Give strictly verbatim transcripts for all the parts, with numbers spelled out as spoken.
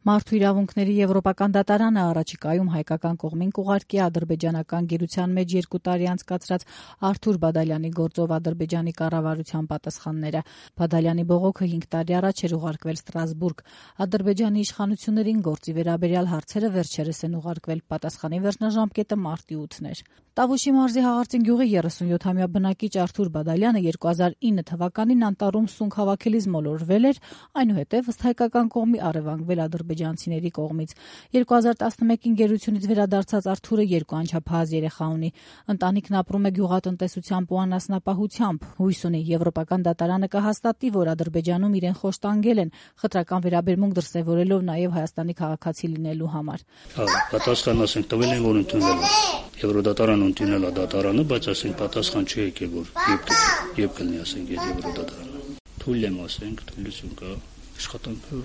Մարդու իրավունքների եվրոպական դատարանը առաջիկայում հայկական կողմին կուղարկի ադրբեջանական գերության մեջ երկու տարի անցկացրած Արթուր Բադալյանի գործով Ադրբեջանի կառավարության պատասխանները։ Բադալյանի բողոքը հինգ տարի առաջ էր ուղարկվել Ստրասբուրգ։ Ադրբեջանի իշխանություններին գործի վերաբերյալ հարցերը վերջերս են ուղարկվել, պատասխանի վերջնաժամկետը մարտի ութն էր։ Տավուշի մարզի Հաղարծին գյուղի երեսունյոթամյա բնակիչ Արթուր Բադալյանը երկու հազար ինը թվականին անտառում սունկ հավաքելիս մոլորվել էր, այնուհետև ըստ հայկական կողմի առևանգվել ադրբեջանցիների կողմից։ երկու հազար տասնմեկին գերությունից վերադարձած Արթուրը երկու անչափահաս երեխա ունի։ Ընտանիքն ապրում է գյուղատնտեսությամբ ու անասնապահությամբ։ Հույս ունի եվրոպական դատարանը կհաստատի, որ Ադրբեջանում իրեն խոշտանգել են, խտրական վերաբերմունք դրսևորելով նաև Հայաստանի քաղաքացի լինելու համար։ Պատասխան ասենք տվել են, որ ընդունվել է։ Եվրոդատարանը ընդունել է դատարանը, բայց ասենք պատասխան չի եկել, որ երբ կլինի ասենք եվրոդատարանը։ Թույլ եմ ասենք, թույլություն կա, աշխատանքը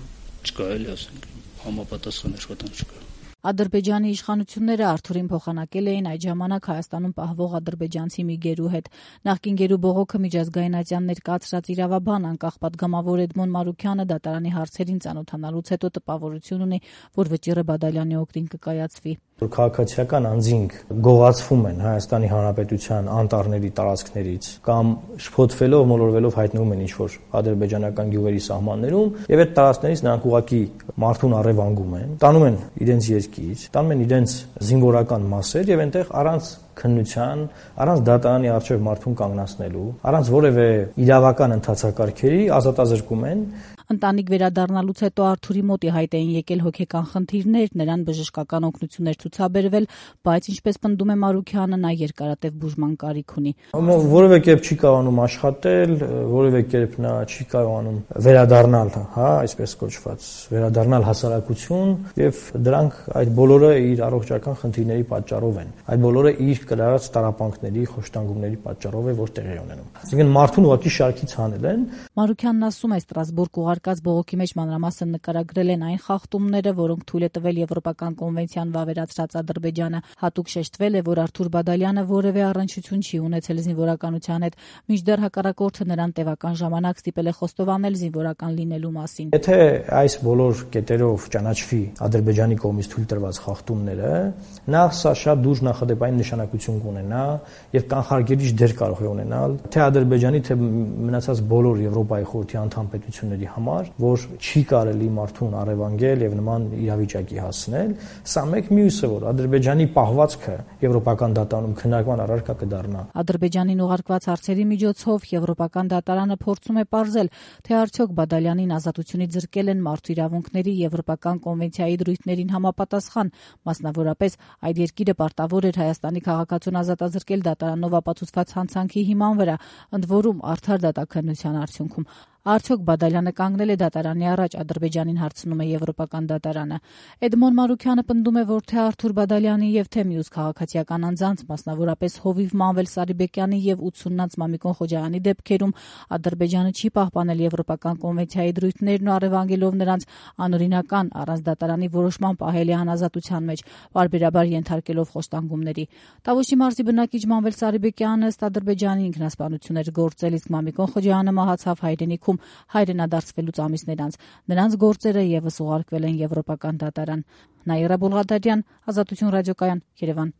չկա էլի ասենք, համապատասխան աշխատանք չկա։ Ադրբեջանի իշխանությունները Արթուրին փոխանակել էին այդ ժամանակ Հայաստանում պահվող ադրբեջանցի մի գերու հետ։ Նախկին գերու բողոքը միջազգայնատյան ներկայացրած իրավաբան անկախ պատգամավոր Էդմոն Մարուքյանը դատարանի հարցերին ծանոթանալուց հետո տպավորություն ունի, որ վճիռը Բադալյանի օգտին կկայացվի։ Որ քաղաքացիական անձինք գողացվում են Հայաստանի Հանրապետության անտառների տարածքներից կամ շփոթվելով, մոլորվելով հայտնվում են ինչ-որ ադրբեջանական գյուղերի սահմաններում եւ այդ տարածքներից նրանք ուղղակի մարդուն առևանգում են, տանում են իրենց երկիր, տանում են իրենց զինվորական մասեր եւ այնտեղ առանց քննության, առանց դատարանի առջև մարդուն կանգնացնելու, առանց որևէ իրավական ընթացակարգերի ազատազրկում են։ Ընտանիք վերադառնալուց հետո Արթուրի մոտ հայտ էին եկել հոգեկան խնդիրներ, նրան բժշկական օգնություններ ցուցաբերվել, բայց ինչպես պնդում է Մարուքյանը, նա երկարատև բուժման կարիք ունի։ Որևէ կերպ չի կարողանում աշխատել, որևէ կերպ նա չի կարողանում վերադառնալ, հա, այսպես կոչված, վերադառնալ հասարակություն, եւ դրանք այդ բոլորը իր առողջական խնդիրների պատճառով են։ Այդ բոլորը իր կրած տարապանքների, խոշտանգումների պատճառով է, որ տեղի ունենում։ Այսինքն մարդուն ուղղակի շարքից հանել են։ Մարուքյանն ասում է, Ստրասբուրգ ուղարկած բողոքի մեջ մանրամասն նկարագրել են այն խախտումները, որոնք թույլ է տվել Եվրոպական կոնվենցիան վավերացրած Ադրբեջանը։ Հատուկ շեշտվել է, որ Արթուր Բադալյանը որևէ առնչություն չի ունեցել զինվորականության հետ, մինչդեռ հակառակորդը նրան տևական ժամանակ ստիպել է խոստովանել զինվորական լինելու մասին։ Եթե այս բոլոր կետերով ճանաչվի Ադրբեջանի կողմից թույլ տրված խախտումները, նախ սա շատ դուրս նախադեպային նշանակություն կունենա եւ կանխարգելիչ դեր կարող է ունենալ թե Ադրբեջանի, թե մնացած բոլոր Եվրոպայի խորհրդի անդամ պետությունների համար, որ չի կարելի մարդուն առևանգել եւ նման իրավիճակի հասնել։ Սա մեկ մյուսը, որ Ադրբեջանի պահվածքը Եվրոպական դատարանում քննարկման առարկա կդառնա։ Ադրբեջանին ուղարկված հարցերի միջոցով Եվրոպական դատարանը փորձում է պարզել, թե արդյոք Բադալյանին ազատությունից զրկել են մարդու իրավունքների Եվրոպական կոնվենցիայի դրույթներին համապատասխան, մասնավորապես այդ երկիրը պարտավոր էր Հայաստանի քաղաքացուն ազատազրկել դատարանով ապացուցված հանցանքի հիման վրա, ընդ որում արդար դատաքննության արդյունքում։ Արդյոք Բադալյանը կանգնել է դատարանի առաջ, Ադրբեջանին հարցնում է Եվրոպական դատարանը։ Էդմոն Մարուքյանը պնդում է, որ թե Արթուր Բադալյանի եւ թե մյուս քաղաքացիական անձանց, մասնավորապես Հովիվ Մանվել Սարիբեկյանի եւ ութսուննանց Մամիկոն Խոջարյանի դեպքերում Ադրբեջանը չի պահպանել Եվրոպական կոնվենցիայի դրույթներն ու առևանգելով նրանց անօրինական առանց դատարանի որոշման պահելի անազատության մեջ, պարբերաբար ենթարկելով խոշտանգումների։ Տավուշի մարզի բնակիչ Մանվել Սարիբեկյանը ըստ Ադրբեջանի ինքնասպանություն էր գործել, իսկ Մամիկոն Խոջարյանը մահացավ հայրենիքում հայրենադարձվելուց ամիսներ անց։ Նրանց գործերը եւս ուղարկվել են Եվրոպական դատարան։ Նաիրա Բոլղադարյան, Ազատություն ռադիոկայան, Երևան։